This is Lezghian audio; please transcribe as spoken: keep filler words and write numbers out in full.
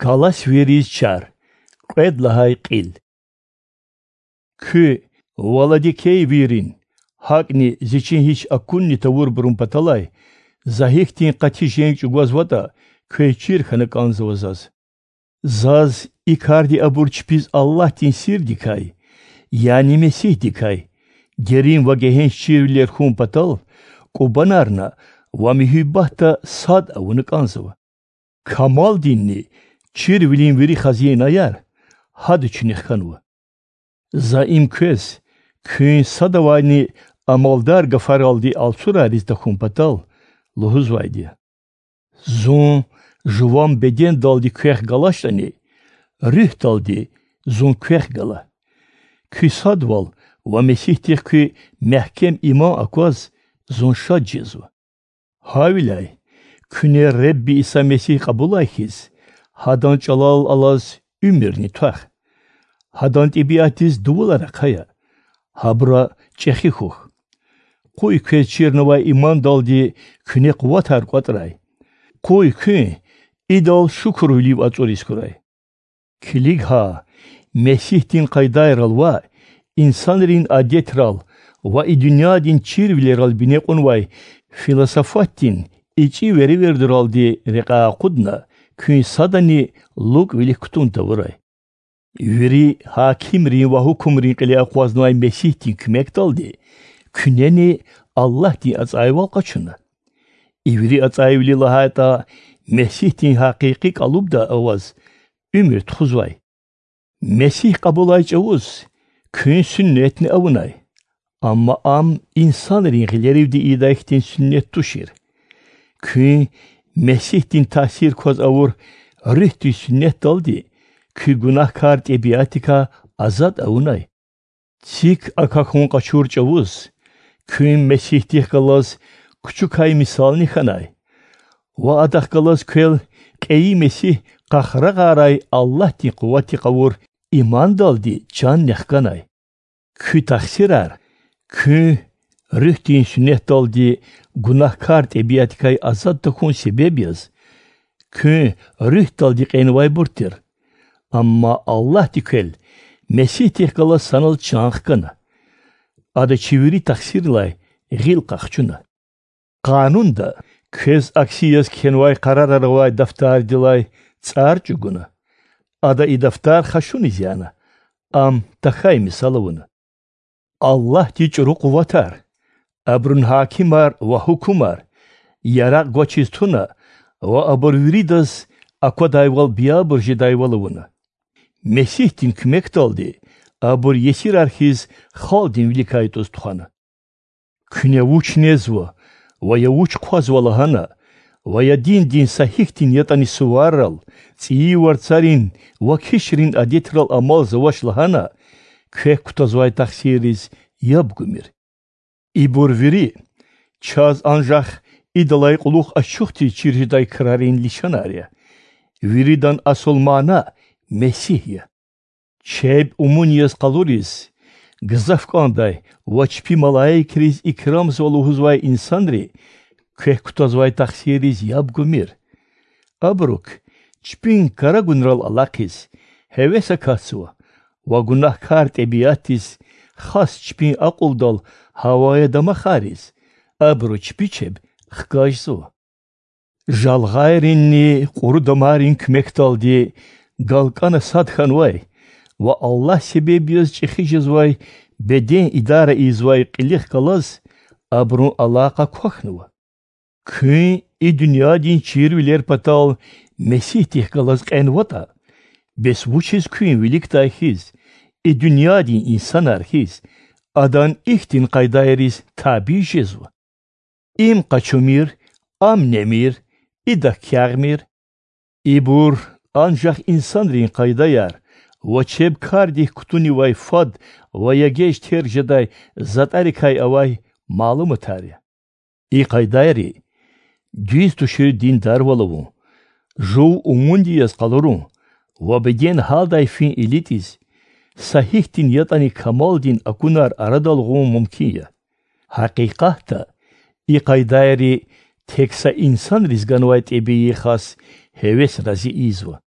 Галасвийриз чар. Кьвед лагьай кьил. Куьн, Ва Ладикейвийрин, гьакӀни Зи чин гьич акунни тавурбурун паталай, За гьихьтин къати женг чӀугвазватӀа, квез чир хьана кӀанзава Заз. Заз и карди абур чпиз Аллагьдин сирдикай, яни Месигьдикай, дерин ва гегьенш чирвилер хьун патал, кӀубанарна ва муьгьуьббатда сад авуна кӀанзава. Камалдинни чирвилин вири хазинаяр гьада чуьнуьх хьанва. За им квез, куьн садавайни амалдар гафаралди алцурайриз тахьун патал, лугьузвайди я. Зун жуван бедендалди квехъ галачтӀани, руьгьдалди Зун квехъ гала. Куь садвал ва Месигьдихъ куь мягькем иман акваз Зун шад жезва. Гьавиляй, куьне Ребби Иса Месигь кьабулай хьиз, Гьадан чӀалал алаз уьмуьрни твах. Гьадан тӀебиатдиз дувулар ахъая, гьабура чӀехи хьухь. Къуй квез чирнавай имандалди куьне къуватар кӀватӀрай. Къуй куьн идал шукурвилив ацӀуриз хьурай. Килиг гьа, Месигьдин къайдайрал ваъ, инсанрин адетрал ва и дуьньядин чирвилерал бине кьунвай философатдин ичӀи веревирдуралди рекьяй акъудна, куьн садани лукӀвилихъ кутун тавурай. Вири гьакимрин ва гьукумрин кьиле акъвазнавай Месигьдин куьмекдалди куьнени Аллагьдин ацӀайвал къачуна. И вири ацӀайвили лагьайтӀа, Месигьдин гьакъикъи кӀалубда аваз уьмуьр тухузвай. Месигь кьабулай чӀавуз куьн суьннетни авунай, амма ам инсанрин гъилеривди ийидай хьтин суьннет тушир. Куьн Месигьдин таъсир кваз авур руьгьдин суьннетдалди куь гунагькар тӀебиатдикай азад авунай. Цик акахьун къачур чӀавуз куьн Месигьдихъ галаз кучукай мисални хьанай ва Адахъ галаз квел кьейи Месигь къахрагъарай Аллагьдин къуватдихъ авур имандалди чанни хканай. Куь тахсирар куьн руьгьдин суьннетдалди гунагькар тӀебиатдикай азад тахьун себеб яз, куьн руьгьдалди кьенвайбур тир. Амма Аллагьди квел Месигьдихъ галаз санал чан хкана. Ада чи вири тахсиррилай гъил къахчуна. Къанунда квез акси яз кхьенвай къарарар авай дафтардилай цӀар чӀугуна. Ада и дафтар хашуниз яна, ам тахьай мисал авуна. Аллагьди чӀуру къуватар, абурун гьакимар ва гьукумар яракь гвачиз туна ва абур виридаз аквадайвал биябур жедайвал авуна. Месигьдин куьмекдалди абур есирар хьиз халкьдин виликай тӀуз тухвана. Куьне вуч незва ва я вуч хъвазва лагьана ва я диндин са гьихьтин ятӀани суваррал, цӀийи варцарин ва кишрин адетрал амалзавач лагьана, квехъ кутазвай тахсирриз яб гумир. Ибур вири чаз анжах идалай кьулухъ ачухдиз чир жедай крарин лишанар я. Виридан асул мана Месигь я. Чеб умун яз къалуриз, гзаф кӀандай ва чпи малаикриз икрамзава лугьузвай инсанри квехъ кутазвай тахсирриз яб гумир. Абурук чпин карагунрал алахъиз, гьевес акатзава ва гунагькар тӀебиатдиз, хас чпин акьулдал гьавая дамахариз, абуру чпи чеб хкажзава. Жалгъайринни кьуру дамарин куьмекдалди галкӀана сад хьанвай ва Аллагь себеб яз чӀехи жезвай беден идара ийизвай кьилихъ галаз абурун алакъа квахьнава. Куьн и дуьньядин чирвилер патал Месигьдихъ галаз кьенватӀа, бес вучиз куьн виликдай хьиз, и дуьньядин инсанар хьиз, адан ихьтин къайдайриз табий жезва? Им къачумир, ам немир, идак ягъмир. Ибур анжах инсанрин къайдаяр ва чеб кардик кутунивай фад ва я геж терг жедай затӀарикай авай малуматар я. И къайдайри дуьз тушир диндарвал авун, жув умунди яз къалурун ва беден гьалдай фин илитӀиз, са гьихьтин ятӀани камалдин акунар арадал гъун мумкин я. Гьакъикъатда, и къайдайри тек са инсанриз ганвай тӀебии хас гьевес рази ийизва.